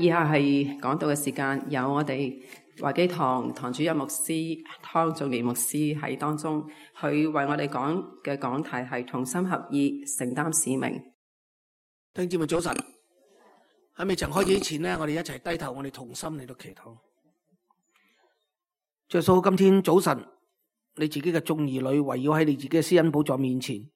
以下係講道嘅時間，有我哋華基堂堂主任牧師湯仲年牧師喺當中，佢為我哋講嘅講題係同心合意，承擔使命。弟兄姊妹早晨，喺未曾開始之前呢，我哋一齊低頭，我哋同心嚟到祈禱。耶穌，今天早晨，你自己嘅眾兒女圍繞喺你自己嘅施恩寶座面前，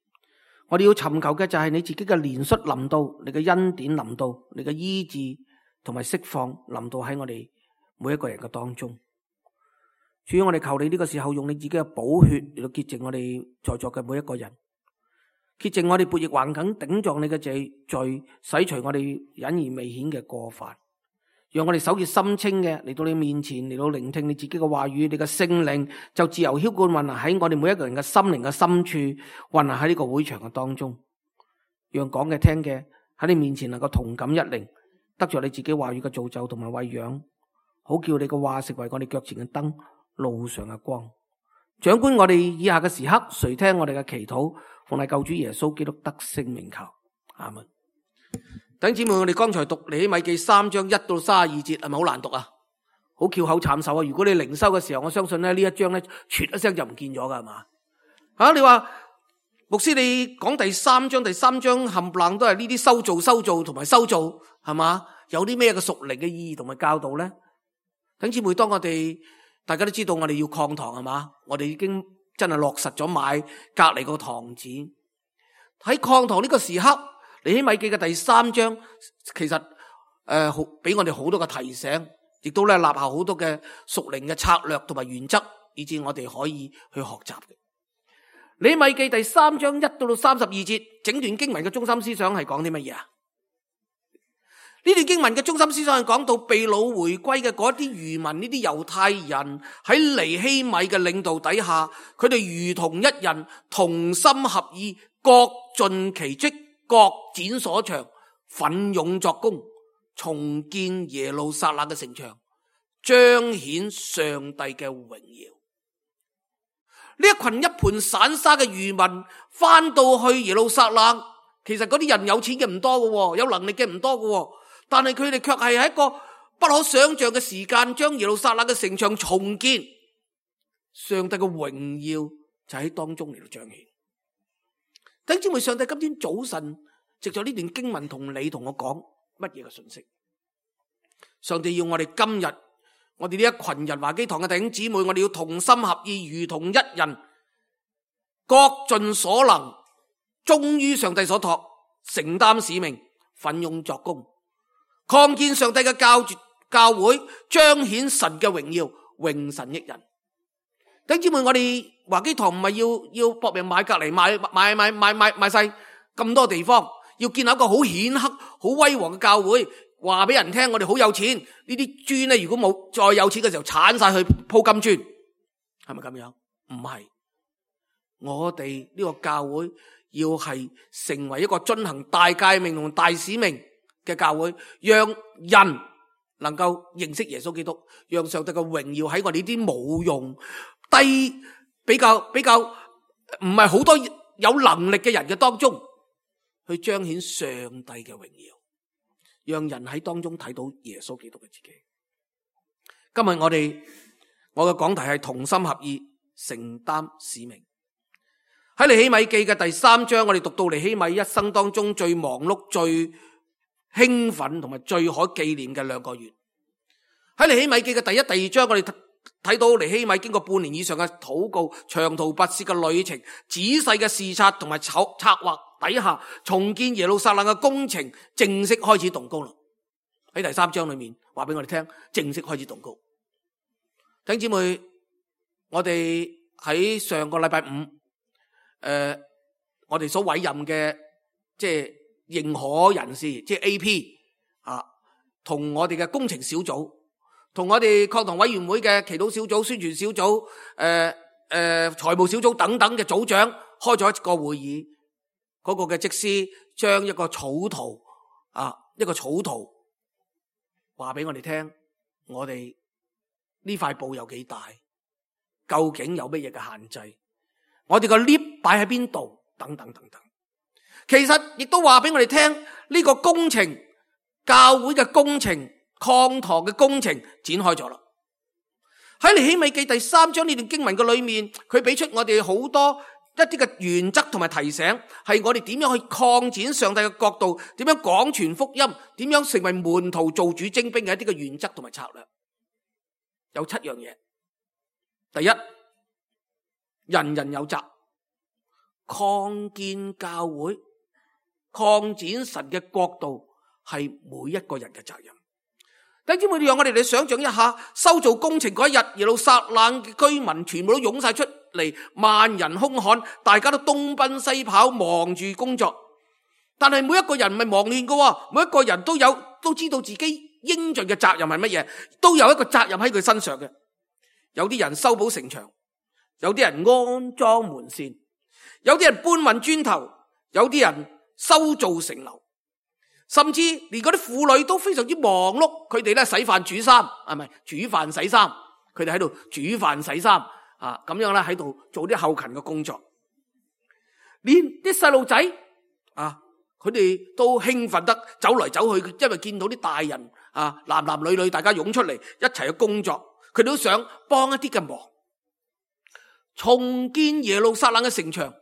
我哋要尋求嘅就係你自己嘅憐恤臨到，你嘅恩典臨到，你嘅醫治同埋釋放臨到喺我哋每一個人嘅當中。主，我哋求你呢個時候用你自己嘅寶血嚟到潔淨我哋在座嘅每一個人，潔淨我哋悖逆橫梗頂撞你嘅罪，洗除我哋隱而未顯嘅過犯，讓我哋手潔心清嘅嚟到你面前，嚟到聆聽你自己嘅話語，你嘅聖靈就自由澆灌運行喺我哋每一個人嘅心靈嘅深處，運行喺呢個會場嘅當中，讓講嘅聽嘅喺你面前能夠同感一靈，得着你自己話語嘅造就同埋餵養，好叫你嘅話成為我哋腳前嘅燈，路上嘅光。掌管我哋以下嘅時刻，垂聽我哋嘅祈禱，奉係救主耶穌基督得勝名求，阿門。弟兄姊妹，我哋剛才讀尼希米記3章1到32節，係咪好難讀啊？好翹口慘手啊！如果你靈修嘅時候，我相信咧呢一章咧，啜一聲就唔見咗噶，係嘛？你話牧師你講第三章冚唪唥都係呢啲修造同埋修造，係嘛？有啲咩嘅屬靈嘅意義同埋教導咧？弟兄姊妹，當大家都知道我哋要擴堂，係嘛？我哋已經真係落實咗買隔籬個堂址。喺擴堂呢個時刻，尼希米記嘅第3章其實俾我哋好多嘅提醒，亦都咧立下好多嘅屬靈嘅策略同埋原則，以致我哋可以去學習嘅。尼希米記第3章1到32節，整段經文嘅中心思想係講啲乜嘢啊？呢段經文嘅中心思想係講到被擄回歸嘅嗰啲餘民，呢啲猶太人喺尼希米嘅領導底下，佢哋如同一人，同心合意，各盡其職，各展所長，奮勇作工，重建耶路撒冷嘅城牆，彰顯上帝嘅榮耀。呢一群一盤散沙嘅餘民翻到去耶路撒冷，其實嗰啲人有錢嘅唔多嘅，有能力嘅唔多嘅，但係佢哋卻係喺一個不可想象嘅時間，將耶路撒冷嘅城牆重建，上帝嘅榮耀就喺當中嚟到彰顯。弟兄姊妹，上帝今天早晨藉着呢段經文同你同我講乜嘢嘅信息？上帝要我哋今日，我哋呢一群人華基堂嘅弟兄姊妹，我哋要同心合意，如同一人，各盡所能，忠於上帝所託，承擔使命，奮勇作工，擴建上帝嘅教會，彰顯神嘅榮耀，榮神益人。弟兄姊妹，我哋華基堂唔係要搏命買隔籬，買晒咁多地方，要建立一個好顯赫、好威煌嘅教會，話俾人聽我哋好有錢。呢啲磚咧，如果冇再有錢嘅時候，鏟晒去鋪金磚，係咪咁樣？唔係，我哋呢個教會要係成為一個遵行大誡命同大使命嘅教會，讓人能夠認識耶穌基督，讓上帝嘅榮耀喺我哋呢啲冇用、比較唔係好多有能力嘅人嘅當中，去彰顯上帝嘅榮耀，讓人喺當中睇到耶穌基督嘅自己。今日我嘅講題係同心合意，承擔使命。喺尼希米記嘅第3章，我哋讀到尼希米一生當中最忙碌、最興奮同埋最可紀念嘅2個月。喺尼希米記嘅第1、第2章，我哋睇到尼希米經過半年以上嘅禱告、長途跋涉嘅旅程、仔細嘅視察同埋策劃底下，重建耶路撒冷嘅工程正式開始動工啦。喺第3章裏面話俾我哋聽，正式開始動工。弟兄姊妹，我哋喺上個禮拜5，我哋所委任嘅即係認可人士，即係 AP 同我哋嘅工程小組，同我哋擴堂委員會嘅祈禱小組、宣傳小組、財務小組等等嘅組長開咗一個會議。嗰個嘅職司將一個草圖話俾我哋聽，我哋呢塊布有幾大，究竟有乜嘢嘅限制，我哋個 lift 擺喺邊度，等等等等。其實亦都話俾我哋聽，呢個工程，教會嘅工程擴堂嘅工程展開咗啦。喺尼希米記第3章呢段經文嘅裏面，佢俾出我哋好多一啲嘅原則同埋提醒，係我哋點樣去擴展上帝嘅國度，點樣廣傳福音，點樣成為門徒做主精兵嘅一啲嘅原則同埋策略。有7樣嘢。第一，人人有責，擴建教會、擴展神嘅國度係每一個人嘅責任。弟兄姊妹，讓我哋嚟想象一下，修造工程嗰一日，耶路撒冷嘅居民全部都湧晒出嚟，萬人空巷，大家都東奔西跑，忙住工作。但係每一個人唔係忙亂嘅，每一個人都知道自己應盡嘅責任係乜嘢，都有一個責任喺佢身上嘅。有啲人修補城牆，有啲人安裝門扇，有啲人搬運磚頭，有啲人修造城樓。甚至連嗰啲婦女都非常之忙碌，佢哋咧洗飯煮衫，煮飯洗衫，佢哋喺度煮飯洗衫咁樣咧喺度做啲後勤嘅工作。連啲細路仔佢哋都興奮得走嚟走去，因為見到啲大人男男女女大家湧出嚟一齊去工作，佢哋都想幫一啲嘅忙，重建耶路撒冷嘅城牆，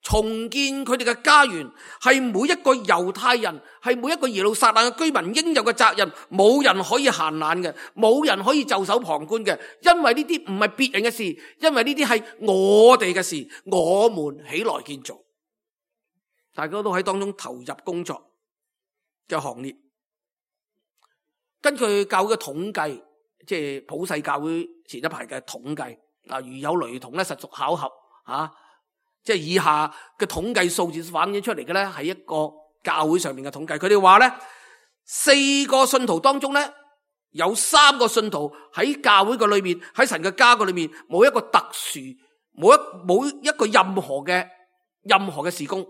重建佢哋嘅家園，係每一個猶太人，係每一個耶路撒冷嘅居民應有嘅責任，冇人可以閒懶嘅，冇人可以袖手旁觀嘅，因為呢啲唔係別人嘅事，因為呢啲係我哋嘅事，我們起來建造，大家都喺當中投入工作嘅行列。根據教會嘅統計，即係普世教會前一排嘅統計，如有雷同咧，實屬巧合即係以下嘅統計數字反映出嚟嘅咧，係一個教會上面嘅統計。佢哋話咧，4個信徒當中咧，有3個信徒喺教會嘅裏面，喺神嘅家嘅裏面，冇一個特殊，冇一個任何嘅事工。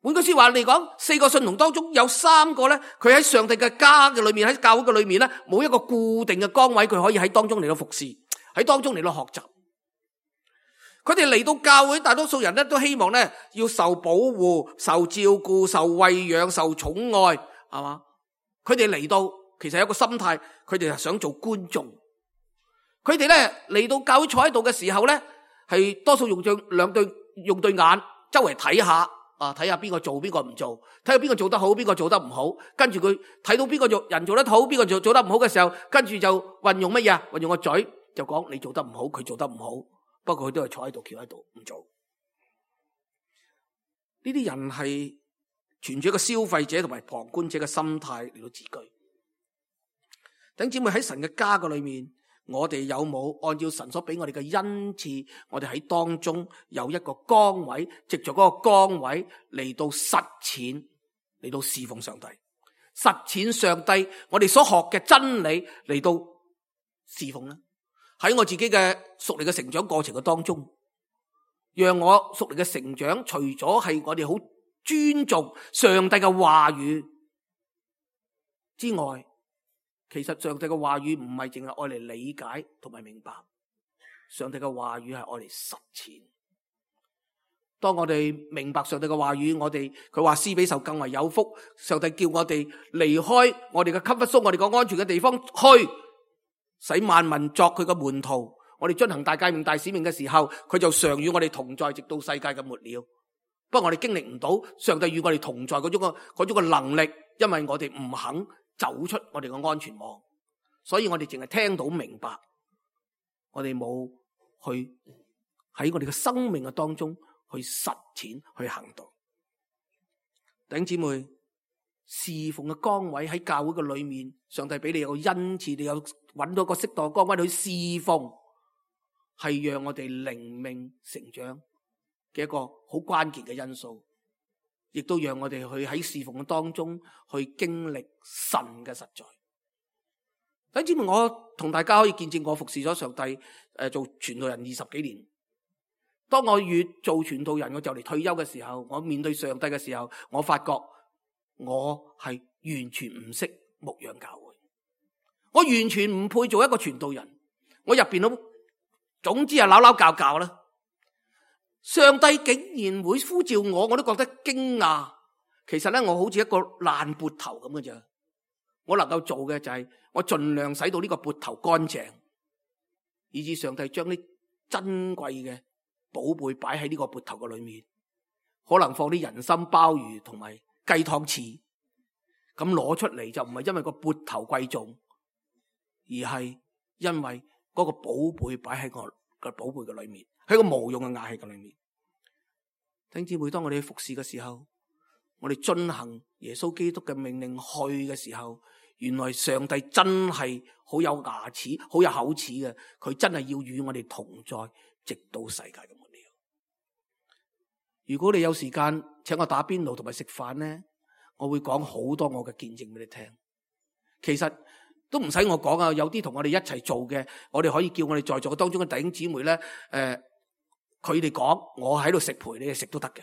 換句說話嚟講，4個信徒當中有3個咧，佢喺上帝嘅家嘅裏面，喺教會嘅裏面咧，冇一個固定嘅崗位，佢可以喺當中嚟到服侍，喺當中嚟到學習。佢哋嚟到教會，大多數人咧都希望咧要受保護、受照顧、受餵養、受寵愛，係嘛？佢哋嚟到其實有一個心態，佢哋係想做觀眾。佢哋咧嚟到教會坐喺度嘅時候咧，係多數用對眼周圍睇下，睇下邊個做邊個唔做，睇下邊個做得好，邊個做得唔好。跟住佢睇到邊個人做得好，邊個做得唔好嘅時候，跟住就運用乜嘢？運用個嘴就講你做得唔好，佢做得唔好。不過佢都係坐喺度，翹喺度唔做。呢啲人係存住一個消費者同埋旁觀者嘅心態嚟到自居。弟兄姊妹，喺神嘅家嘅裏面，我哋有冇按照神所俾我哋嘅恩賜，我哋喺當中有一個崗位，藉着嗰個崗位嚟到實踐，嚟到侍奉上帝，實踐上帝我哋所學嘅真理嚟到侍奉呢？喺我自己嘅屬靈嘅成長過程嘅當中，讓我屬靈嘅成長，除咗係我哋好尊重上帝嘅話語之外，其實上帝嘅話語唔係淨係愛嚟理解同埋明白，上帝嘅話語係愛嚟實踐。當我哋明白上帝嘅話語，佢話施比受更為有福，上帝叫我哋離開我哋嘅comfort zone，我哋個安全嘅地方去，使萬民作佢嘅門徒，我哋進行大誡命大使命嘅時候，佢就常與我哋同在，直到世界嘅末了。不過我哋經歷唔到上帝與我哋同在嗰種嘅能力，因為我哋唔肯走出我哋嘅安全網，所以我哋淨係聽到明白，我哋冇去喺我哋嘅生命嘅當中去實踐去行動。弟兄姊妹，侍奉嘅崗位喺教會嘅裏面，上帝俾你有個恩賜，你有揾到一個適當嘅崗位去侍奉，係讓我哋靈命成長嘅一個好關鍵嘅因素，亦都讓我哋去喺侍奉嘅當中去經歷神嘅實在。弟兄姊妹，我同大家可以見證我服侍咗上帝做傳道人20幾年。當我越做傳道人，我就嚟退休嘅時候，我面對上帝嘅時候，我發覺我係完全唔識牧養教會，我完全唔配做一個傳道人。我入邊都總之係扭扭教教啦。上帝竟然會呼召我，我都覺得驚訝。其實咧，我好似一個爛缽頭咁嘅啫。我能夠做嘅就係我盡量使到呢個缽頭乾淨，以致上帝將啲珍貴嘅寶貝擺喺呢個缽頭嘅裏面，可能放啲人參鮑魚同埋雞湯翅，咁攞出嚟就唔係因為個缽頭貴重，而係因為嗰個寶貝擺喺我個寶貝嘅裏面，喺個無用嘅瓦器嘅裏面。弟兄姊妹，當我哋去服侍嘅時候，我哋遵行耶穌基督嘅命令去嘅時候，原來上帝真係好有牙齒、好有口齒嘅，佢真係要與我哋同在，直到世界嘅末了。如果你有時間請我打邊爐同埋食飯呢，我會講好多我嘅見證俾你聽。其實都唔使我講啊，有啲同我哋一齊做嘅，我哋可以叫我哋在座嘅當中嘅弟兄姊妹咧，佢哋講，我喺度食陪你哋食都得嘅。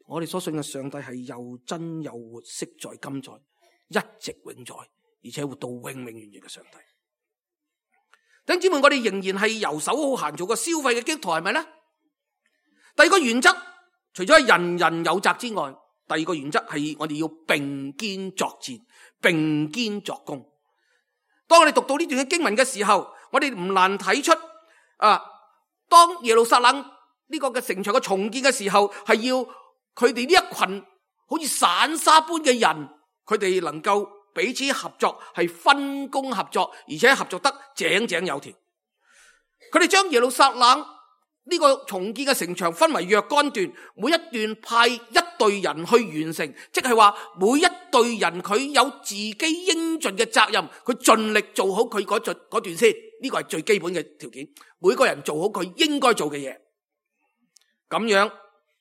我哋所信嘅上帝係又真又活，昔在今在，一直永在，而且活到永永遠遠嘅上帝。弟兄姊妹，我哋仍然係游手好閒做個消費嘅基督徒，係咪咧？第二個原則，除咗係人人有責之外，第二個原則係我哋要並肩作戰，並肩作工。當我哋讀到呢段嘅經文嘅時候，我哋唔難睇出當耶路撒冷呢個嘅城牆嘅重建嘅時候，係要佢哋呢一群好似散沙般嘅人，佢哋能夠彼此合作，係分工合作，而且合作得井井有條。佢哋將耶路撒冷呢個重建嘅城牆分為若干段，每一段派一隊人去完成，即係話每一隊人佢有自己應盡嘅責任，佢盡力做好佢嗰段先，呢個係最基本嘅條件。每個人做好佢應該做嘅嘢，咁樣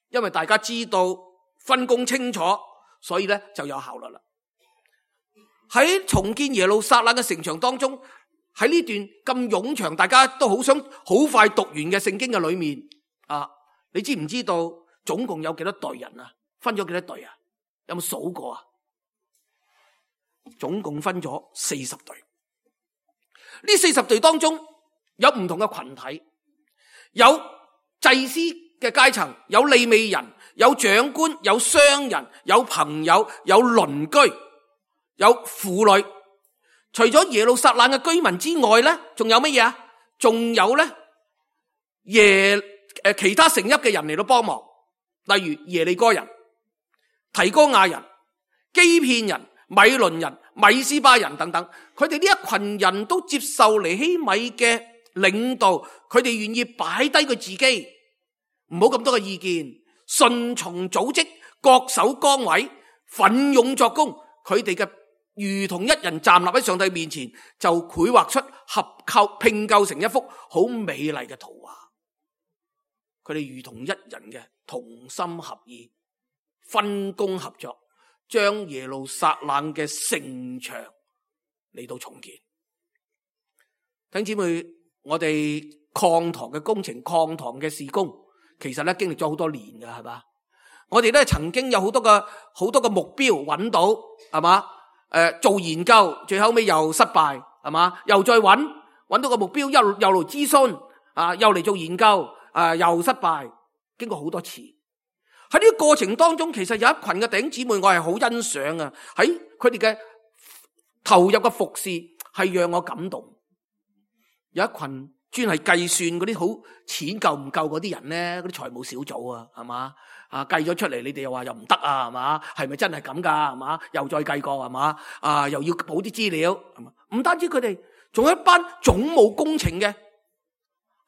因為大家知道分工清楚，所以咧就有效率啦。喺重建耶路撒冷嘅城牆當中，喺呢段咁冗長，大家都好想好快讀完嘅聖經嘅裏面你知唔知道總共有幾多隊人啊？分咗幾多隊啊？有冇數過啊？總共分咗40隊。呢40隊當中有唔同嘅群體，有祭司嘅階層，有利未人，有長官，有商人，有朋友，有鄰居，有婦女。除咗耶路撒冷嘅居民之外咧，仲有乜嘢啊？仲有咧其他城邑嘅人嚟到幫忙，例如耶利哥人、提哥亞人、基遍人、米倫人、米斯巴人等等。佢哋呢一群人都接受尼希米嘅領導，佢哋願意擺低佢自己，唔好咁多嘅意見，順從組織，各守崗位，奮勇作工。佢哋嘅如同一人站立喺上帝面前，就繪畫出拼構成一幅好美麗嘅圖畫。佢哋如同一人嘅同心合意，分工合作，將耶路撒冷嘅城牆嚟到重建。弟兄姊妹，我哋擴堂嘅工程、擴堂嘅事工，其實咧經歷咗好多年㗎，係嘛？我哋咧曾經有好多個目標揾到，係嘛？做研究，最後尾又失敗，係嘛？又再揾到個目標，又嚟諮詢，又嚟做研究，又失敗，經過好多次。喺呢個過程當中，其實有一群嘅弟兄姊妹，我係好欣賞啊！喺佢哋嘅投入嘅服侍，係讓我感動。有一群專係計算嗰啲好錢夠唔夠嗰啲人咧，嗰啲財務小組啊，係嘛？計咗出嚟，你哋又話又唔得啊，係嘛？係咪真係咁噶？係嘛？又再計過，係嘛？又要補啲資料，係嘛？唔單止佢哋，仲有一班總務工程嘅，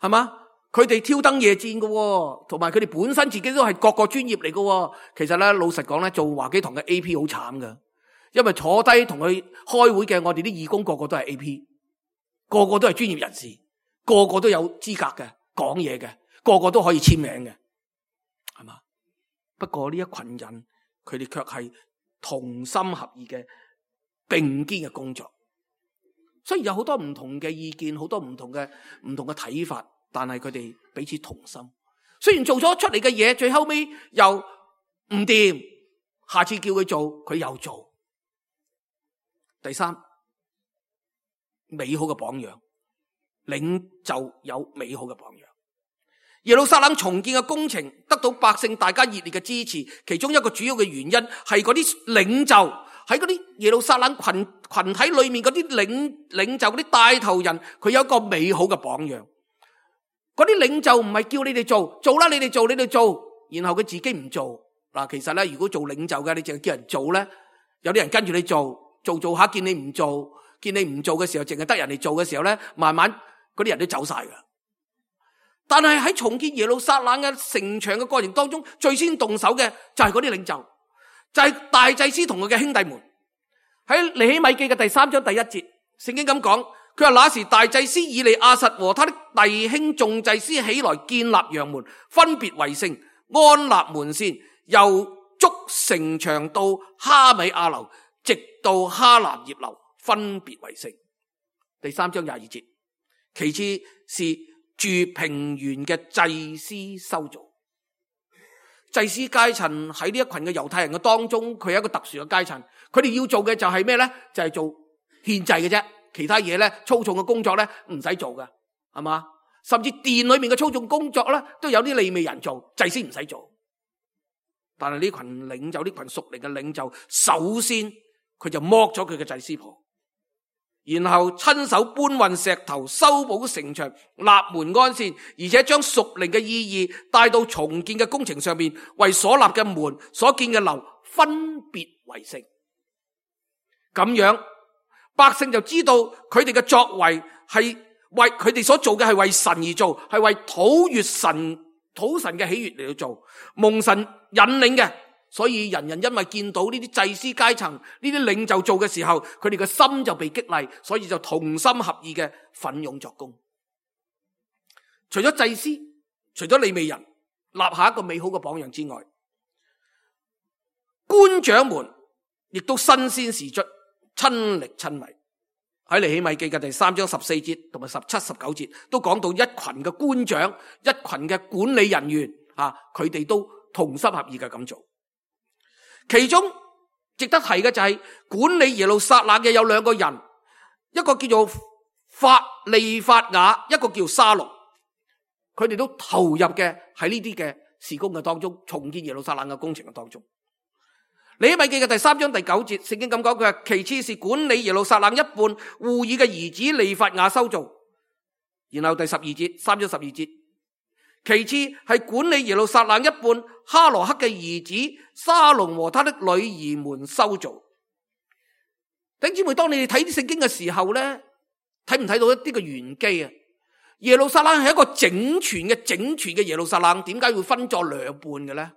係嘛？佢哋挑燈夜戰嘅，同埋佢哋本身自己都係各個專業嚟嘅。其實咧，老實講咧，做華基堂嘅 AP 好慘噶，因為坐低同佢開會嘅，我哋啲義工個個都係 AP， 個個都係專業人士，個個都有資格嘅，講嘢嘅，個個都可以簽名嘅，係嘛？不過呢一群人，佢哋卻係同心合意嘅並肩嘅工作。雖然有好多唔同嘅意見，好多唔同嘅睇法，但係佢哋彼此同心。雖然做咗出嚟嘅嘢，最後尾又唔掂，下次叫佢做，佢又做。第三，美好嘅榜樣，領袖有美好嘅榜樣。耶路撒冷重建嘅工程得到百姓大家熱烈嘅支持，其中一個主要嘅原因係嗰啲領袖喺嗰啲耶路撒冷群體裏面嗰啲領袖嗰啲帶頭人，佢有一個美好嘅榜樣。嗰啲領袖唔係叫你哋做啦，你哋做，然後佢自己唔做。嗱，其實咧，如果做領袖嘅，你淨係叫人做咧，有啲人跟住你做下，見你唔做嘅時候，淨係得人哋做嘅時候咧，慢慢嗰啲人都走晒噶。但係喺重建耶路撒冷嘅城牆嘅過程當中，最先動手嘅就係嗰啲領袖，就係大祭司同佢嘅兄弟們。喺尼希米記嘅第3章第1節，聖經咁講，佢話那時大祭司以利亞實和他的弟兄眾祭司起來建立羊門，分別為聖，安立門扇，由築城牆到哈米亞樓，直到哈南葉樓，分別為聖。第3章22節，其次是住平原嘅祭司修造。祭司階層喺呢一群嘅猶太人嘅當中，佢係一個特殊嘅階層，佢哋要做嘅就係咩呢？就係做獻祭嘅啫，其他嘢呢，粗重嘅工作呢，唔使做嘅，係嘛？甚至殿裏面嘅粗重工作呢，都有啲利未人做，祭司唔使做。但係呢群領袖，呢群屬靈嘅領袖，首先佢就剝咗佢嘅祭司袍，然後親手搬運石頭，修補城牆，立門安線，而且將屬靈嘅意義帶到重建嘅工程上面，為所立嘅門、所建嘅樓分別為聖。咁樣百姓就知道佢哋嘅作為係為佢哋所做嘅係為神而做，係為討神嘅喜悅嚟到做，蒙神引領嘅。所以人人因為見到呢啲祭司階層、呢啲領袖做嘅時候，佢哋嘅心就被激勵，所以就同心合意嘅奮勇作工。除咗祭司，除咗利未人立下一個美好嘅榜樣之外，官長們亦都身先士卒，親力親為。喺尼希米記嘅第3章14節同埋17、19節都講到一群嘅官長、一群嘅管理人員佢哋都同心合意嘅咁做。其中值得提嘅就係管理耶路撒冷嘅有2個人，一個叫做利法雅，一個叫沙龍。佢哋都投入嘅喺呢啲嘅事工嘅當中，重建耶路撒冷嘅工程嘅當中。尼希米記嘅第3章第9節，聖經咁講，佢話其次是管理耶路撒冷一半戶珥嘅兒子利法雅修造。然後第12節，3章12節，其次係管理耶路撒冷一半哈羅克嘅兒子沙龍和他的女兒們修造。弟兄姊妹，當你哋睇啲聖經嘅時候咧，睇唔睇到一啲嘅玄機啊？耶路撒冷係一個整全嘅耶路撒冷，點解會分作2半嘅咧？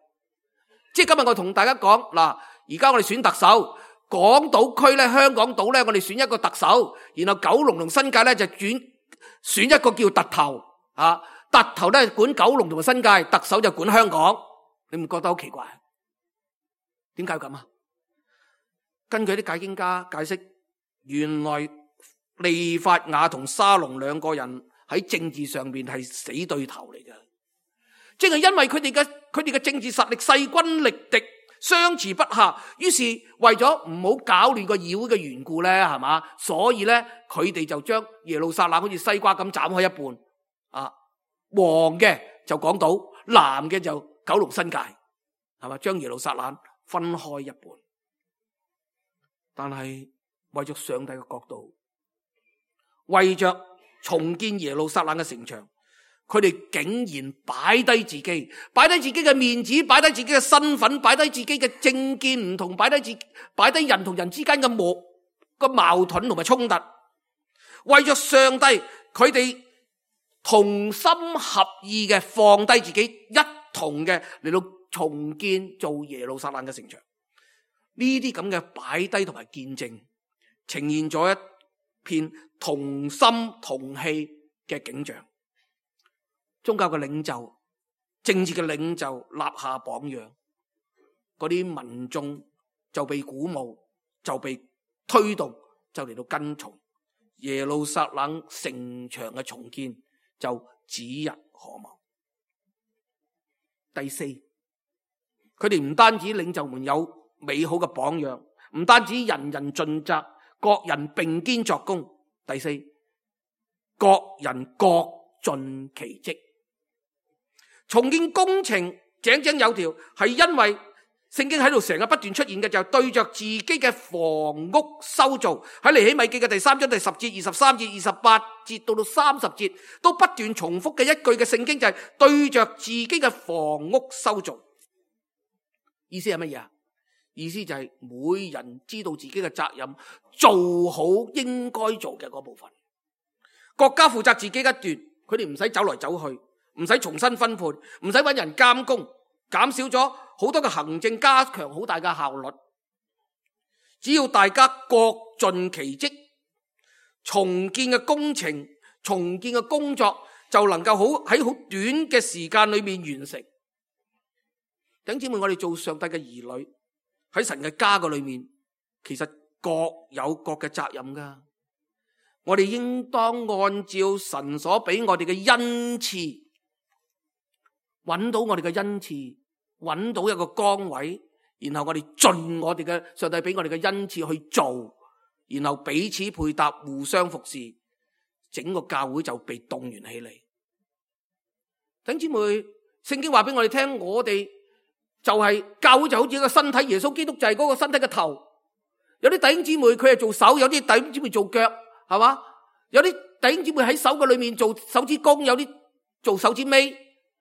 即係今日我同大家講嗱，而家我哋選特首，港島區咧、香港島咧，我哋選一個特首，然後九龍同新界咧就選一個叫特頭啊。特頭咧管九龍同埋新界，特首就管香港，你唔覺得好奇怪？點解咁啊？根據啲解經家解釋，原來利法雅同沙龍2個人喺政治上面係死對頭嚟嘅，即係因為佢哋嘅政治實力勢均力敵，相持不下，於是為咗唔好搞亂個議會嘅緣故咧，係嘛？所以咧佢哋就將耶路撒冷好似西瓜咁斬開一半啊。黃嘅就講到，藍嘅就九龍新界，係嘛？將耶路撒冷分開一半。但係為咗上帝嘅角度，為着重建耶路撒冷嘅城牆，佢哋竟然擺低自己嘅面子，擺低自己嘅身份，擺低自己嘅政見唔同，擺低人同人之間嘅矛盾同埋衝突，為着上帝，佢哋同心合意嘅放低自己，一同嘅嚟到重建做耶路撒冷嘅城牆。呢啲咁嘅擺低同埋見證，呈現咗一片同心同氣嘅景象。宗教嘅領袖、政治嘅領袖立下榜樣，嗰啲民眾就被鼓舞，就被推動，就嚟到跟從耶路撒冷城牆嘅重建，就指日可望。第四，佢哋唔單止領袖們有美好嘅榜樣，唔單止人人盡責，各人並肩作工。第四，各人各盡其職。重建工程井井有條，係因為聖經喺度成日不斷出現嘅就係對着自己嘅房屋修造。喺尼希米記嘅第3章第10節、23節、28節到30節都不斷重複嘅一句嘅聖經就係對着自己嘅房屋修造。意思係乜嘢啊？意思就係每人知道自己嘅責任，做好應該做嘅嗰部分。國家負責自己一段，佢哋唔使走來走去，唔使重新分配，唔使搵人監工，減少咗好多嘅行政，加強好大嘅效率。只要大家各盡其職，重建嘅工程、重建嘅工作就能夠喺好短嘅時間裏面完成。弟兄姊妹，我哋做上帝嘅兒女喺神嘅家嘅裏面，其實各有各嘅責任噶。我哋應當按照神所俾我哋嘅恩賜，揾到我哋嘅恩賜，揾到一個崗位，然後我哋盡我哋嘅上帝俾我哋嘅恩賜去做，然後彼此配搭，互相服侍，整個教會就被動員起嚟。弟兄姊妹，聖經話俾我哋聽，我哋就係教會就好似一個身體，耶穌基督就係嗰個身體嘅頭。有啲弟兄姊妹佢係做手，有啲弟兄姊妹做腳，係嘛？有啲弟兄姊妹喺手嘅裏面做手指公，有啲做手指尾，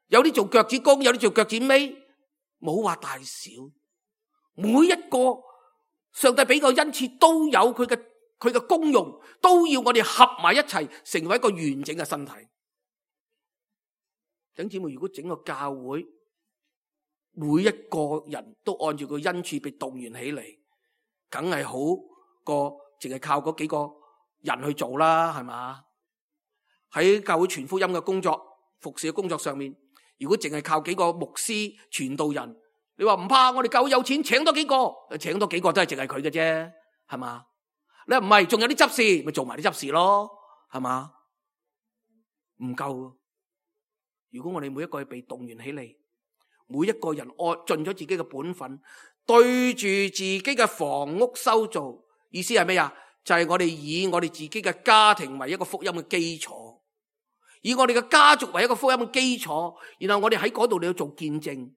有啲做腳趾公，有啲做腳趾尾，冇話大小。每一個上帝俾個恩賜都有佢嘅功用，都要我哋合埋一齊，成為一個完整嘅身體。弟兄姊妹，如果整個教會每一個人都按照個恩賜被動員起嚟，梗係好過淨係靠嗰幾個人去做啦，係嘛？喺教會傳福音嘅工作、服侍嘅工作上面，如果淨係靠幾個牧師、傳道人，你話唔怕，我哋教會有錢，請多幾個都係淨係佢嘅啫，係嘛？你話唔係，仲有啲執事，咪做埋啲執事咯，係嘛？唔夠。如果我哋每一個係被動員起嚟，每一個人盡咗自己嘅本分，對住自己嘅房屋修造，意思係咩啊？就係我哋以我哋自己嘅家庭為一個福音嘅基礎，以我哋嘅家族為一個福音嘅基礎，然後我哋喺嗰度你要做見證，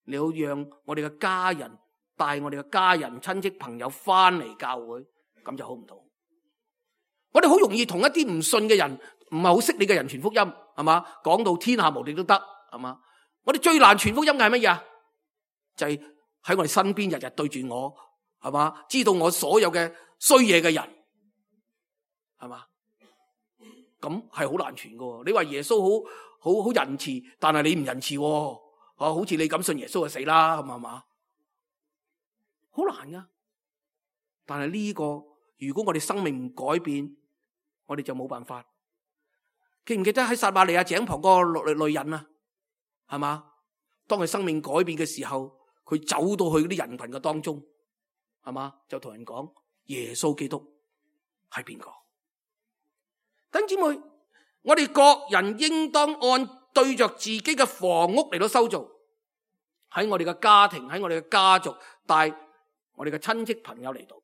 你要讓我哋嘅家人帶我哋嘅家人、親戚、朋友翻嚟教會，咁就好唔同。我哋好容易同一啲唔信嘅人，唔係好識你嘅人傳福音，係嘛？講到天下無敵都得，係嘛？我哋最難傳福音嘅係乜嘢啊？就係喺我哋身邊日日對住我，係嘛？知道我所有嘅衰嘢嘅人，係嘛？咁係好難傳噶。你話耶穌好仁慈，但係你唔仁慈，好似你咁信耶穌就死啦，係嘛？好難噶。但係呢個如果我哋生命唔改變，我哋就冇辦法。記唔記得喺撒瑪利亞井旁嗰個女人啊？係嘛？當佢生命改變嘅時候，佢走到去嗰啲人群嘅當中，係嘛？就同人講耶穌基督係邊個？弟兄姊妹，我哋各人應當按對着自己嘅房屋嚟到修造，喺我哋嘅家庭，喺我哋嘅家族，帶我哋嘅親戚朋友嚟到。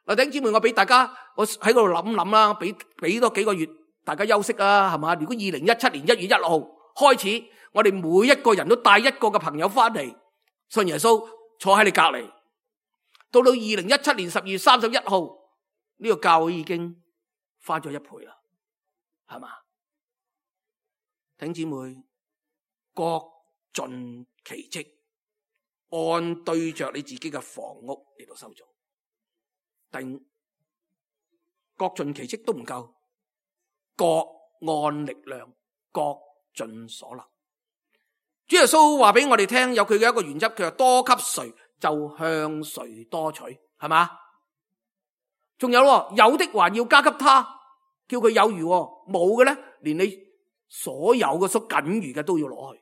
嗱，弟兄姊妹，我俾大家，我喺度諗諗啦，俾多幾個月大家休息啊，係嘛？如果2017年1月1號開始，我哋每一個人都帶一個嘅朋友翻嚟信耶穌，坐喺你隔籬，到2017年12月31號，呢個教會已經翻咗1倍啦，係嘛？弟兄姊妹，各盡其職，按對着你自己嘅房屋嚟到修造。各盡其職都唔夠，各按力量，各盡所能。主耶穌話俾我哋聽，有佢嘅一個原則，佢話多給誰就向誰多取，係嘛？仲有有的還要加給他，叫佢有餘，冇嘅咧，連你所有嘅所僅餘嘅都要攞去。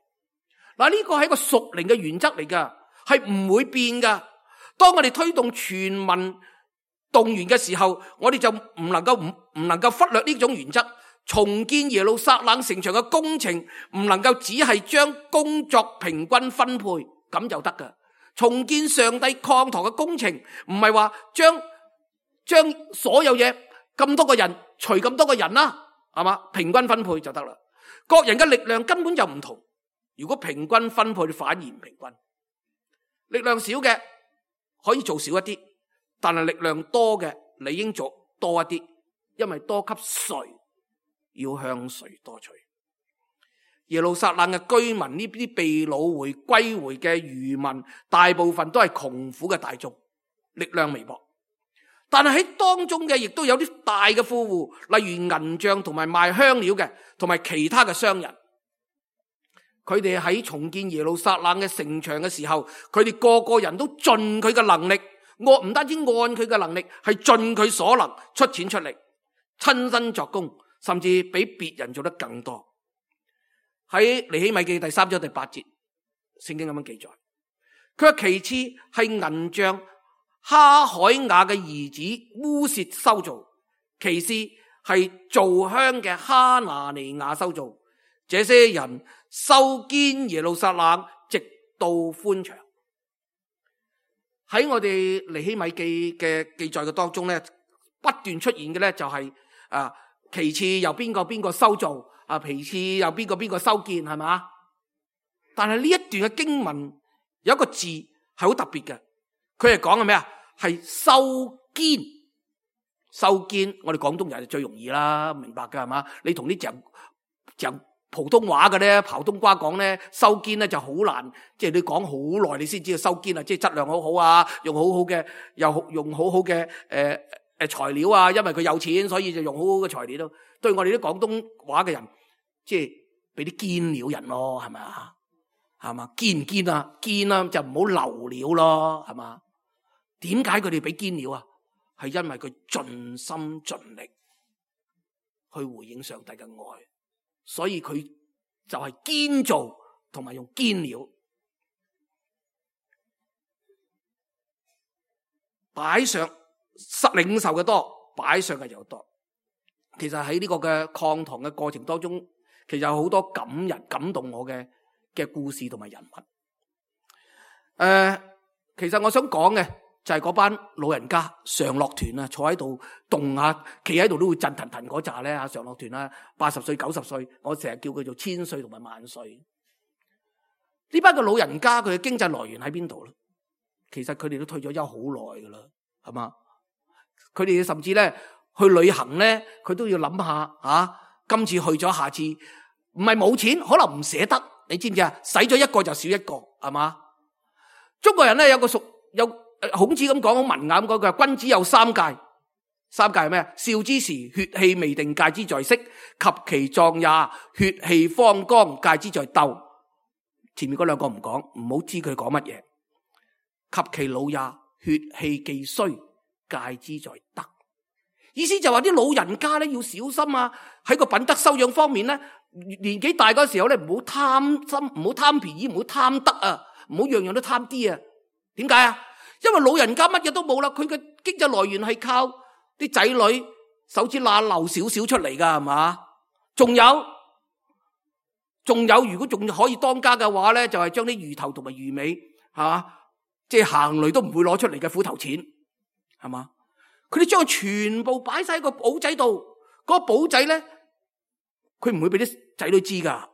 嗱，呢個係一個屬靈嘅原則嚟噶，係唔會變噶。當我哋推動全民動員嘅時候，我哋就唔能夠忽略呢種原則。重建耶路撒冷城牆嘅工程唔能夠只係將工作平均分配咁就得噶。重建上帝礦堂嘅工程唔係話將所有嘢咁多個人除咁多個人啦，係嘛？平均分配就得啦。各人嘅力量根本就唔同，如果平均分配反而唔平均。力量少嘅可以做少一啲，但係力量多嘅你應做多一啲，因為多給誰，要向誰多取。耶路撒冷嘅居民呢啲被擄回歸回嘅餘民，大部分都係窮苦嘅大眾，力量微薄。但係喺當中嘅亦都有啲大嘅富戶，例如銀匠同埋賣香料嘅，同埋其他嘅商人。佢哋喺重建耶路撒冷嘅城牆嘅時候，佢哋個個人都盡佢嘅能力，唔單止按佢嘅能力，係盡佢所能出錢出力，親身作工，甚至比別人做得更多。喺尼希米記第3章第8節，聖經咁樣記載，佢話其次係銀匠哈海雅嘅兒子烏薛修造，其次係造香嘅哈拿尼亞修造。這些人修堅耶路撒冷，直到寬牆。喺我哋尼希米記嘅記載嘅當中咧，不斷出現嘅咧就係其次由邊個修造，其次由邊個修建，係嘛？但係呢一段嘅經文有一個字係好特別嘅，佢係講嘅咩啊？係修堅。修堅，我哋廣東人就最容易啦，明白㗎係嘛？你同啲就普通話嘅咧，刨冬瓜講咧，修堅咧就好難，即係你講好耐你先知道修堅啊，即係質量好好啊，用好好嘅用好好嘅材料啊，因為佢有錢，所以就用好好嘅材料咯。對我哋啲廣東話嘅人，即係俾啲堅料人咯，係咪啊？係嘛？堅唔堅啊？堅啊，就唔好流料咯，係嘛？點解佢哋俾堅料啊？係因為佢盡心盡力去回應上帝嘅愛。所以佢就係堅做同埋用堅料擺上，領受嘅多，擺上嘅又多。其實喺呢個嘅抗堂嘅過程當中，其實有好多感動我嘅故事同埋人物。其實我想講嘅就係嗰班老人家常樂團啊，坐喺度動下，企喺度都會震騰騰嗰扎咧。常樂團啊，80歲90歲，我成日叫佢做1000歲同埋萬歲。呢班嘅老人家佢嘅經濟來源喺邊度咧？其實佢哋都退咗休好耐噶啦，係嘛？佢哋甚至咧去旅行咧，佢都要諗下今次去咗，下次唔係冇錢，可能唔捨得，你知唔知啊？使咗一個就少一個，係嘛？中國人咧有孔子咁講，好文雅咁講，佢話君子有3戒。3戒係咩啊？少之時，血氣未定，戒之在色；及其壯也，血氣方剛，戒之在鬥。前面嗰兩個唔講，唔好知佢講乜嘢。及其老也，血氣既衰，戒之在德。意思就話啲老人家咧要小心啊！喺個品德修養方面咧，年紀大嗰時候咧唔好貪心，唔好貪便宜，唔好貪得啊，唔好樣樣都貪啲啊！點解啊？因為老人家乜嘢都冇啦，佢嘅經濟來源係靠啲仔女手指罅漏少少出嚟噶，係嘛？仲有，如果仲可以當家嘅話咧，就係將啲魚頭同埋魚尾，係嘛？即係行雷都唔會攞出嚟嘅斧頭錢，係嘛？佢哋將佢全部擺晒喺個簿仔度，嗰個簿仔咧，佢唔會俾啲仔女知噶，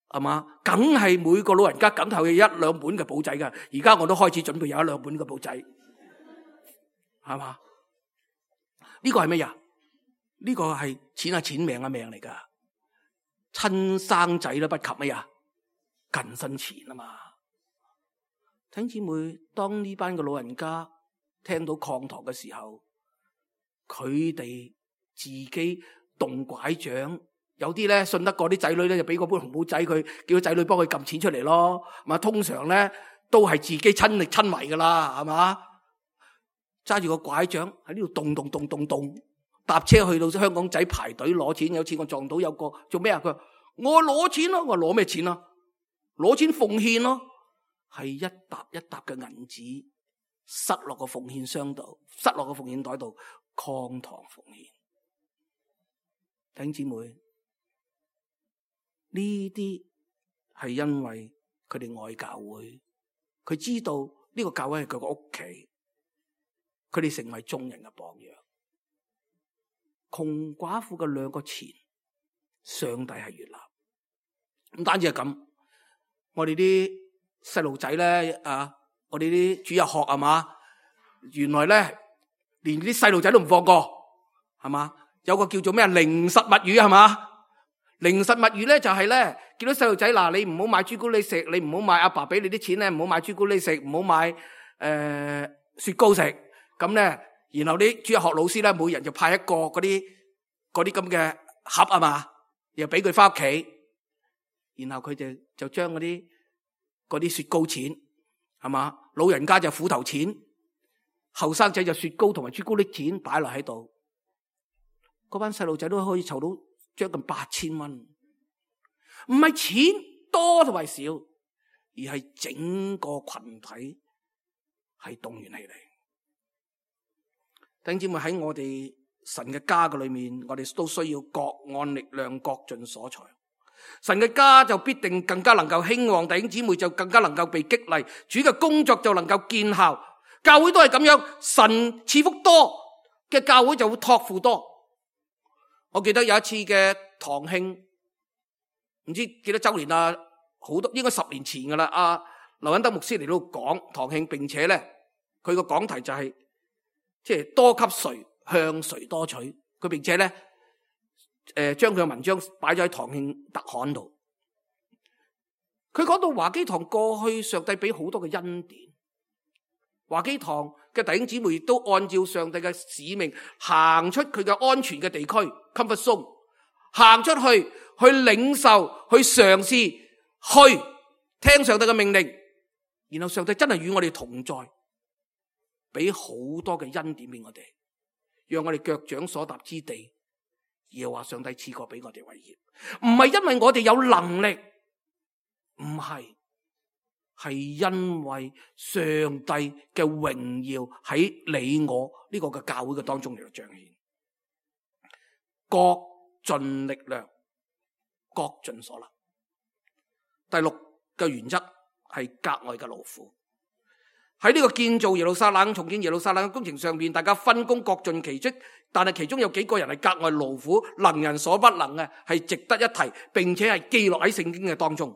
係嘛？梗係每個老人家梗係有1-2本嘅簿仔噶。而家我都開始準備有1-2本嘅簿仔，係嘛？呢個係咩呀？呢個係錢係錢，命係命嚟噶。親生仔都不及咩呀？近身錢啊嘛！弟兄姊妹，當呢班嘅老人家聽到抗堂嘅時候，佢哋自己動拐杖，有啲咧信得過啲仔女咧，就俾嗰本紅簿仔佢，叫個仔女幫佢撳錢出嚟咯。嘛，通常咧都係自己親力親為噶啦，係嘛？揸住個拐杖喺呢度動，搭車去到香港仔排隊攞錢。有次我撞到有個做咩啊？佢話我攞錢咯，我攞咩錢啊？攞錢奉獻咯，係一沓一沓嘅銀紙塞落個奉獻箱度，塞落個奉獻袋度，抗堂奉獻。弟兄姊妹，呢啲係因為佢哋愛教會，佢知道呢個教會係佢個屋企，佢哋成為眾人嘅榜樣。窮寡婦嘅2個錢，上帝係悅納。唔單止係咁，我哋啲細路仔咧我哋啲主日學係嘛，原來咧連啲細路仔都唔放過，係嘛？有個叫做咩靈實物語係嘛？靈實物語咧就係咧見到細路仔嗱，你唔好買朱古力食，你唔好買阿爸俾你啲錢咧，唔好買朱古力食，唔好買雪糕食，咁咧，然後啲主日學老師咧每人就派一個嗰啲咁嘅盒啊嘛，又俾佢翻屋企，然後佢哋就將嗰啲雪糕錢係嘛，老人家就斧頭錢，後生仔就雪糕同埋朱古力錢擺落喺度，嗰班細路仔都可以籌到將近8000蚊，唔係錢多同埋少，而係整個群體係動員起嚟。弟兄姊妹，喺我哋神嘅家嘅裏面，我哋都需要各按力量，各盡所才。神嘅家就必定更加能夠興旺，弟兄姊妹就更加能夠被激勵，主嘅工作就能夠見效。教會都係咁樣，神賜福多嘅教會就會託付多。我記得有一次嘅堂慶，唔知幾多周年啦，好多應該10年前噶啦。劉恩德牧師嚟到講堂慶，並且咧佢個講題就係即係多給誰，向誰多取。佢並且咧將佢嘅文章擺咗喺堂慶特刊度。佢講到華基堂過去上帝俾好多嘅恩典，華基堂嘅弟兄姊妹亦都按照上帝嘅使命行出佢嘅安全嘅地區 comfort zone， 行出去領受，去嘗試，去聽上帝嘅命令，然後上帝真係與我哋同在，俾好多嘅恩典俾我哋，讓我哋腳掌所踏之地，而話上帝賜過俾我哋為業，唔係因為我哋有能力，唔係，係因為上帝嘅榮耀喺你我呢個嘅教會嘅當中嚟到彰顯，各盡力量，各盡所能。第6個原則係格外嘅勞苦。喺呢個建造耶路撒冷、重建耶路撒冷嘅工程上面，大家分工各盡其職，但係其中有幾個人係格外勞苦，能人所不能嘅，係值得一提，並且係記錄喺聖經嘅當中。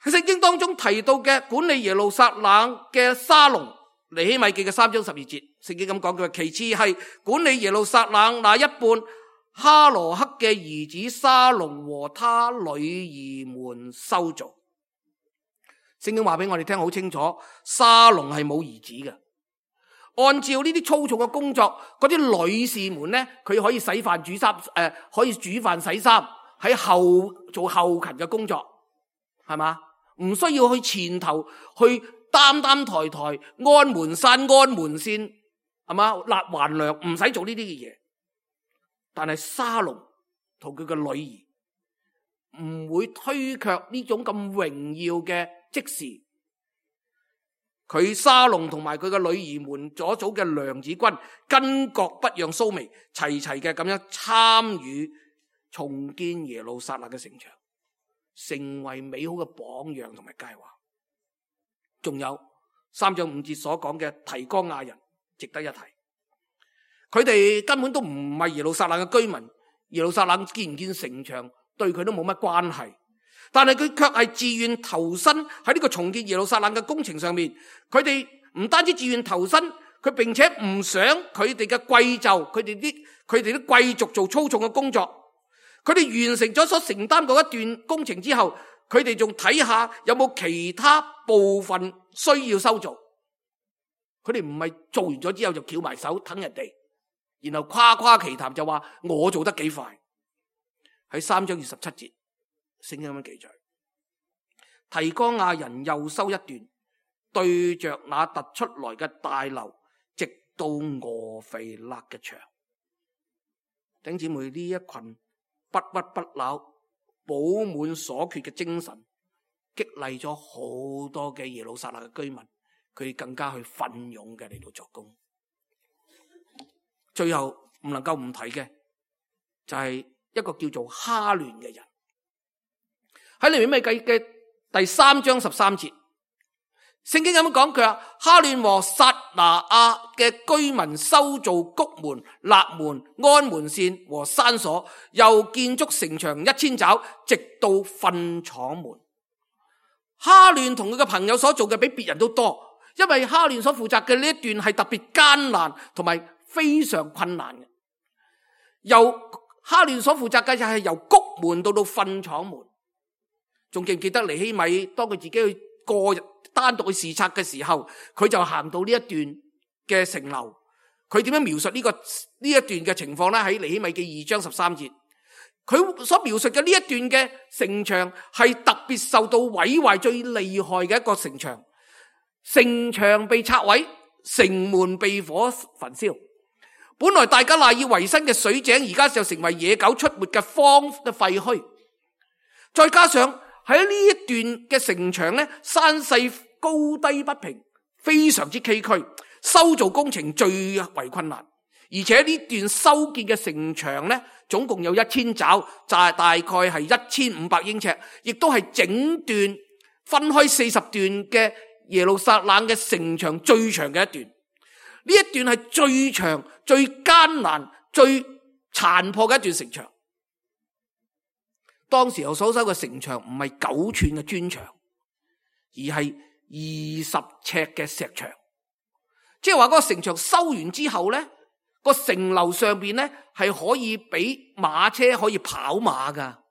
喺聖經當中提到嘅管理耶路撒冷嘅沙龍，尼希米記嘅3章12節，聖經咁講，佢話其次係管理耶路撒冷那一半哈羅克嘅兒子沙龍和他女兒們修造。聖經話俾我哋聽好清楚，沙龍係冇兒子嘅。按照呢啲粗重嘅工作，嗰啲女士們咧，佢可以洗飯煮衫，可以煮飯洗衫，喺做後勤嘅工作，係嘛？唔需要去前頭去擔抬安門山安門線，係嘛？立橫梁，唔使做呢啲嘅嘢。但係沙龍同佢嘅女兒唔會推卻呢種咁榮耀嘅職事。佢沙龍同埋佢嘅女兒們所組嘅娘子軍，巾幗不讓鬚眉，齊齊嘅咁樣參與重建耶路撒冷嘅城牆，成為美好嘅榜樣同埋佳話。仲有3章5節所講嘅提哥亞人，值得一提。佢哋根本都唔係耶路撒冷嘅居民，耶路撒冷建唔建城牆對佢都冇乜關係，但係佢卻係自願投身喺呢個重建耶路撒冷嘅工程上面。佢哋唔單止自願投身，佢並且唔想佢哋嘅貴胄，佢哋啲貴族做粗重嘅工作。佢哋完成咗所承擔嗰一段工程之後，佢哋仲睇下有冇其他部分需要修造。佢哋唔係做完咗之後就翹埋手等人哋，然後誇誇其談就話我做得幾快。喺3章27節，聖經咁樣記載，提哥亞人又修一段，對着那突出來嘅大樓，直到俄腓勒嘅牆。弟兄姊妹，呢一群不屈不撓、補滿所缺嘅精神，激勵咗好多嘅耶路撒冷嘅居民，佢更加去奮勇嘅嚟到作工。最後唔能夠唔提嘅就係一個叫做哈亂嘅人。喺利未記嘅第3章13節，聖經咁樣講，佢話哈亂和撒拿亞嘅居民修造谷門、立門、安門線和山鎖，又建築城牆1000肘，直到糞廠門。哈亂同佢嘅朋友所做嘅比別人都多，因為哈亂所負責嘅呢一段係特別艱難同埋非常困難嘅。由哈亂所負責嘅就係由谷門到糞廠門。仲記唔記得尼希米當佢自己去單獨去視察嘅時候，佢就行到呢一段嘅城樓。佢點樣描述呢一段嘅情況呢？喺尼希米記2章13節，佢所描述嘅呢一段嘅城牆係特別受到毀壞最厲害嘅一個城牆。城牆被拆毀，城門被火焚燒。本來大家賴以為生嘅水井，而家就成為野狗出沒嘅荒嘅廢墟。再加上喺呢一段嘅城牆咧，山勢高低不平，非常之崎嶇，修造工程最為困難。而且呢段修建嘅城牆咧，總共有1000肘，就係大概係1500英尺，亦都係整段分開40段嘅耶路撒冷嘅城牆最長嘅一段。呢一段係最長、最艱難、最殘破嘅一段城牆。當時候所修嘅城牆唔係9寸嘅磚牆，而係20尺嘅石牆。即係話嗰個城牆修完之後咧，個城樓上邊咧係可以俾馬車可以跑馬噶。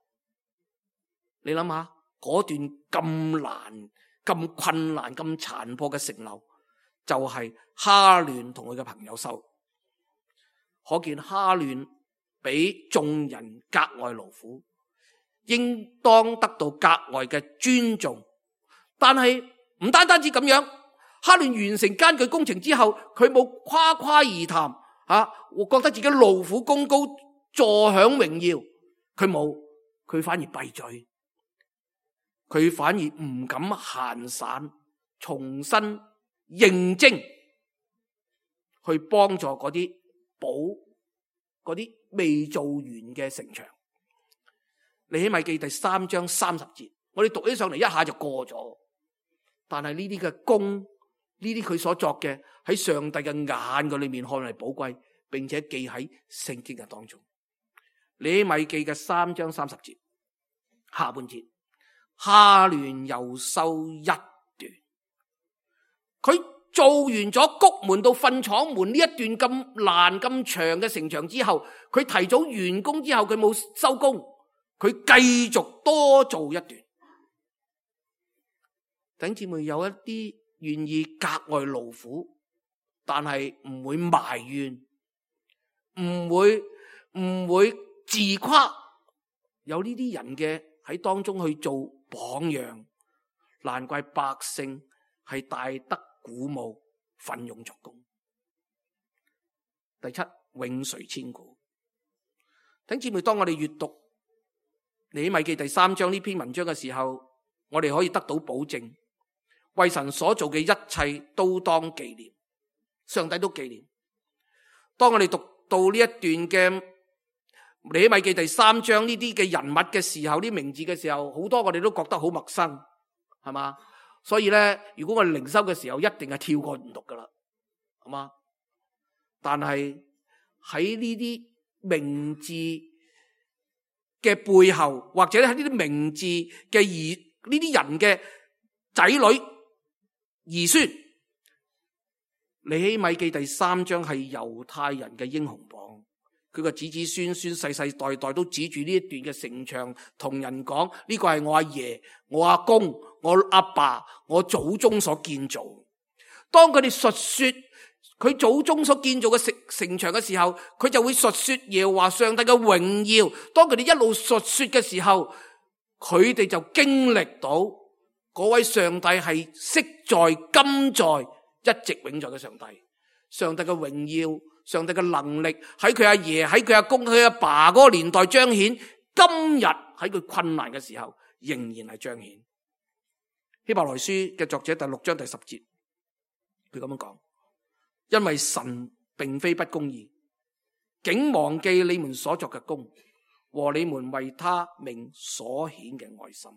你諗下嗰段咁難、咁困難、咁殘破嘅城樓，就係哈亂同佢嘅朋友修。可見哈亂比眾人格外勞苦，應當得到格外嘅尊重。但係唔單止咁樣，哈亂完成艱巨工程之後，佢冇誇誇而談我覺得自己勞苦功高，坐享榮耀。佢冇，佢反而閉嘴，佢反而唔敢閒散，重新認真去幫助嗰啲補嗰啲未做完嘅城牆。尼希米記第3章30節，我哋讀起上嚟一下就過咗。但係呢啲嘅功，呢啲佢所作嘅，喺上帝嘅眼嘅裏面看嚟寶貴，並且記喺聖經嘅當中。尼希米記嘅3章30節下半節，哈亂又修一段。佢做完咗谷門到糞廠門呢一段咁難咁長嘅城牆之後，佢提早完工之後，佢冇收工，佢繼續多做一段。弟兄姊妹，有一啲願意格外勞苦，但係唔會埋怨，唔會自誇，有呢啲人嘅喺當中去做榜樣，難怪百姓係大得鼓舞，奮勇作工。第7，永垂千古。弟兄姊妹，當我哋閱讀尼希米記第3章呢篇文章嘅時候，我哋可以得到保證，為神所做嘅一切都當紀念，上帝都紀念。當我哋讀到呢一段嘅尼希米記第3章呢啲嘅人物嘅時候，呢名字嘅時候，好多我哋都覺得好陌生，係嘛？所以咧，如果我哋靈修嘅時候，一定係跳過唔讀噶啦，係嘛？但係喺呢啲名字嘅背後，或者喺呢啲名字嘅呢啲人嘅仔女兒孫，尼希米記第3章係猶太人嘅英雄榜。佢個子子孫孫世世代代都指住呢一段嘅城牆，同人講呢個係我阿爺、我阿公、我阿爸、我祖宗所建造。當佢哋述說佢祖宗所建造嘅城牆嘅時候，佢就會述說耶和華上帝嘅榮耀。當佢哋一路述說嘅時候，佢哋就經歷到嗰位上帝係昔在、今在、一直永在嘅上帝。上帝嘅榮耀，上帝嘅能力喺佢阿爺、喺佢阿公、佢阿爸嗰個年代彰顯，今日喺佢困難嘅時候仍然係彰顯。希伯來書嘅作者第6章第10節，佢咁樣講：因為神並非不公義，竟忘記你們所作嘅功和你們為他名所顯嘅愛心。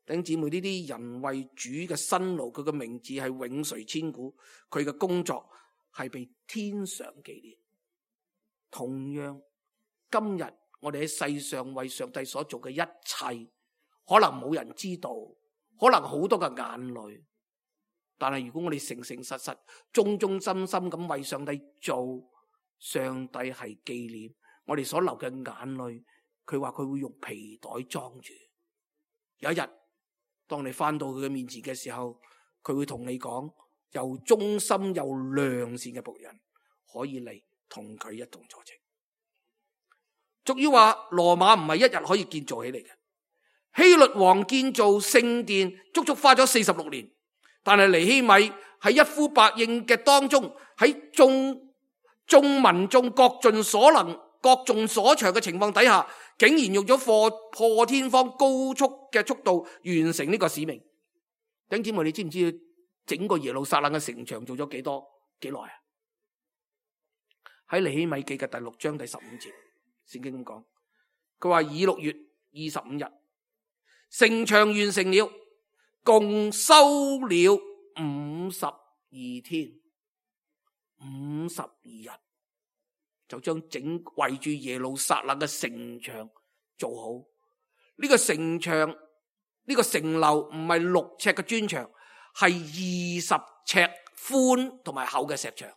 弟兄姊妹，呢啲人為主嘅辛勞，佢嘅名字係永垂千古，佢嘅工作係被天上紀念。同樣，今日我哋喺世上為上帝所做嘅一切，可能冇人知道，可能好多嘅眼淚。但係如果我哋誠誠實實、忠忠心心咁為上帝做，上帝係紀念我哋所流嘅眼淚。佢話佢會用皮袋裝住。有一日，當你翻到佢嘅面前嘅時候，佢會同你講，又忠心又良善嘅僕人可以嚟同佢一同坐席。俗語話羅馬唔係一日可以建造起嚟嘅。希律王建造聖殿足足花咗46年，但係尼希米喺一呼百應嘅當中，喺眾民眾各盡所能、各盡所長嘅情況底下，竟然用咗破天荒高速嘅速度完成呢個使命。弟兄姊妹，你知唔知整個耶路撒冷嘅城牆做咗幾耐啊？喺尼希米記嘅第6章第15節，聖經咁講，佢話以6月25日，城牆完成了，共修了52天，52日就將整圍住耶路撒冷嘅城牆做好。呢個城牆，呢個城樓唔係6尺嘅磚牆，係20尺寬同埋厚嘅石牆。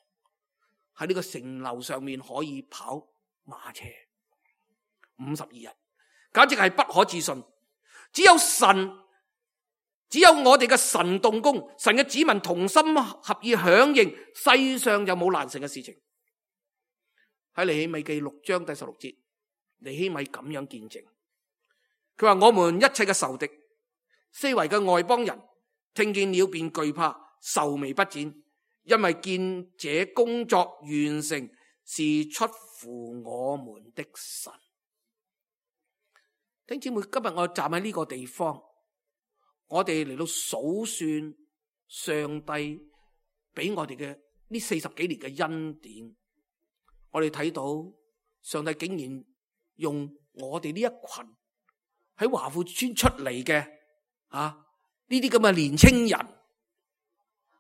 喺呢個城樓上面可以跑馬車，52日，簡直係不可置信。只有我哋嘅神動工，神嘅子民同心合意響應，世上就冇難成嘅事情。喺尼希米記6章第16節，尼希米咁樣見證，佢話我們一切嘅仇敵，四圍嘅外邦人，聽見了便懼怕，愁眉不展，因為見這工作完成是出乎我們的神。弟兄姊妹，今日我站喺呢個地方，我哋嚟到數算上帝俾我哋嘅呢40幾年嘅恩典，我哋睇到上帝竟然用我哋呢一群喺華富村出嚟嘅呢啲咁嘅年青人，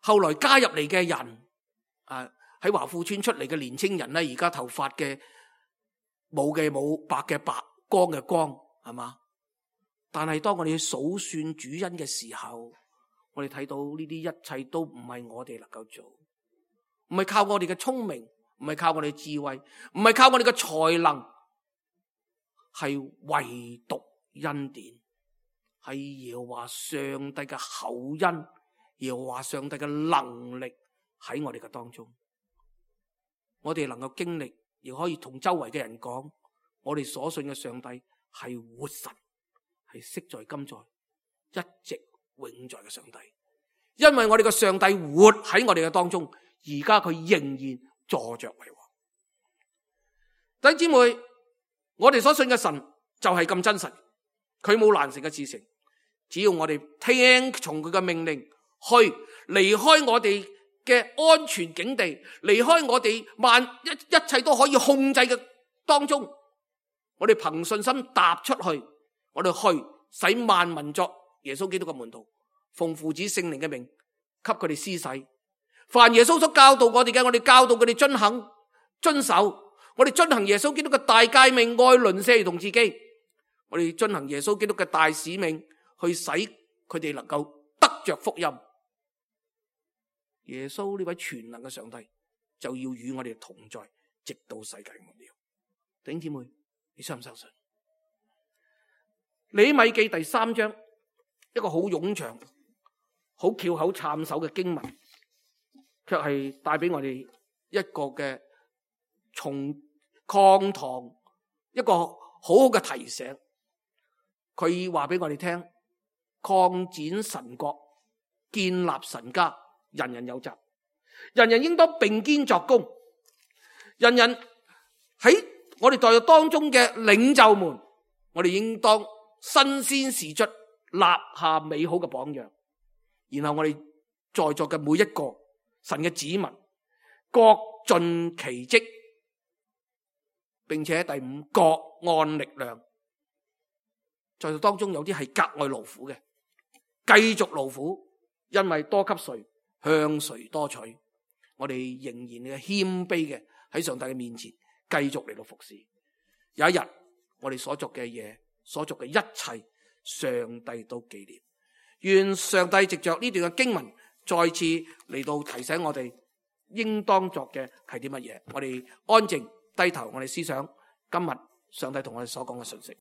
後來加入嚟嘅人喺華富村出嚟嘅年青人咧，而家頭髮嘅冇嘅冇，白嘅白，光嘅光，係嘛？但係當我哋數算主恩嘅時候，我哋睇到呢啲一切都唔係我哋能夠做，唔係靠我哋嘅聰明，唔係靠我哋智慧，唔係靠我哋嘅才能，係唯獨恩典，係耶和華上帝嘅厚恩，耶和華上帝嘅能力喺我哋嘅當中，我哋能夠經歷，亦可以同周圍嘅人講，我哋所信嘅上帝係活神，係昔在今在一直永在嘅上帝。因為我哋嘅上帝活喺我哋嘅當中，而家佢仍然坐着為王。弟兄姊妹，我哋所信嘅神就係咁真實，佢冇難成嘅事情，只要我哋聽從佢嘅命令，去離開我哋嘅安全境地，離開我哋一切都可以控制嘅當中，我哋憑信心踏出去，我哋去使萬民作耶穌基督嘅門徒，奉父子聖靈嘅名給佢哋施洗。凡耶穌所教導我哋嘅，我哋教導佢哋遵守。我哋遵行耶穌基督嘅大誡命，愛鄰舍如同自己。我哋遵行耶穌基督嘅大使命，去使佢哋能夠得着福音。耶穌呢位全能嘅上帝就要與我哋同在，直到世界末了。弟兄姊妹，你相唔相信？尼希米記第3章，一個好冗長、好翹口撐手嘅經文，卻係帶俾我哋一個嘅從抗堂一個好好嘅提醒。佢話俾我哋聽，擴展神國，建立神家，人人有責，人人應當並肩作工。人人喺我哋代表當中嘅領袖們，我哋應當身先士卒，立下美好嘅榜樣。然後我哋在座嘅每一個神嘅子民，各盡其職，並且第5，各按力量。在座當中有啲係格外勞苦嘅，繼續勞苦，因為多給誰，向誰多取。我哋仍然嘅謙卑嘅喺上帝嘅面前繼續嚟到服侍。有一日，我哋所做嘅嘢，所做嘅一切，上帝都紀念。願上帝藉着呢段嘅經文再次嚟到提醒我哋應當作嘅係啲乜嘢。我哋安靜低頭，我哋思想今日上帝同我哋所講嘅信息。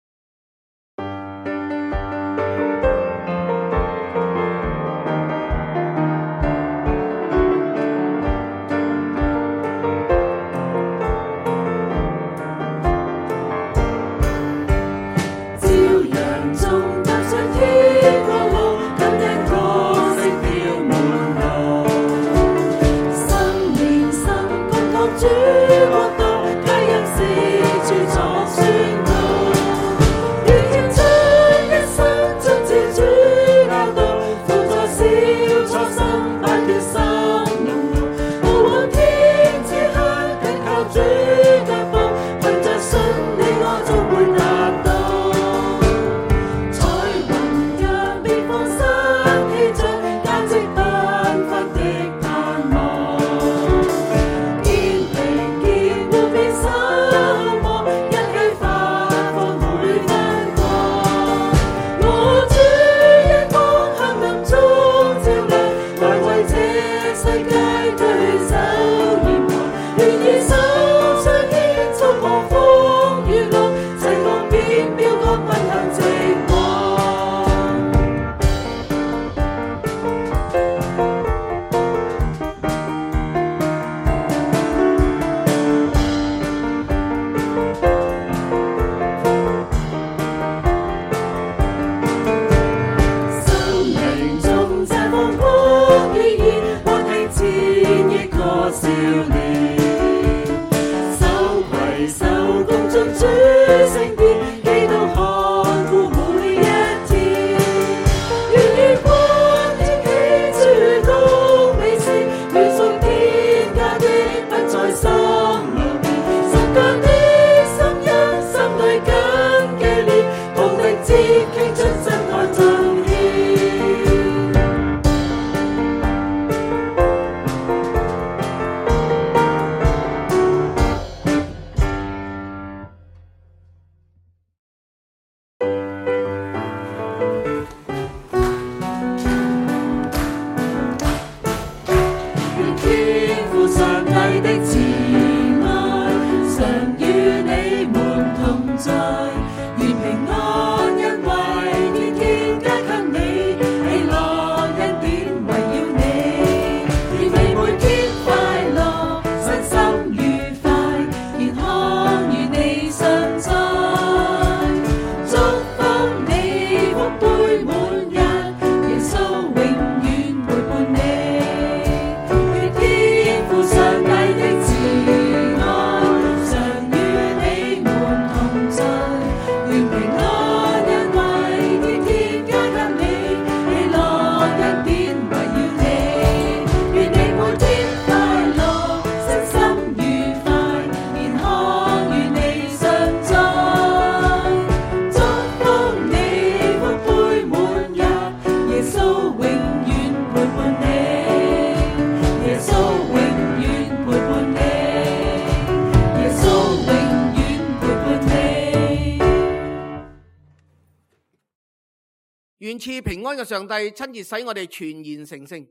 願賜平安嘅上帝親自使我哋全然成聖，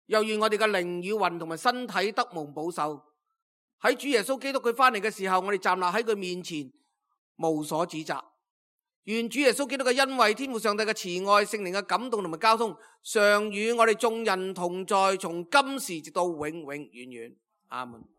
又願我哋嘅靈與魂同埋身體得蒙保守。喺主耶穌基督佢翻嚟嘅時候，我哋站立喺佢面前無所指責。願主耶穌基督嘅恩惠、天父上帝嘅慈愛、聖靈嘅感動同埋交通，常與我哋眾人同在，從今時直到永永遠遠。阿門。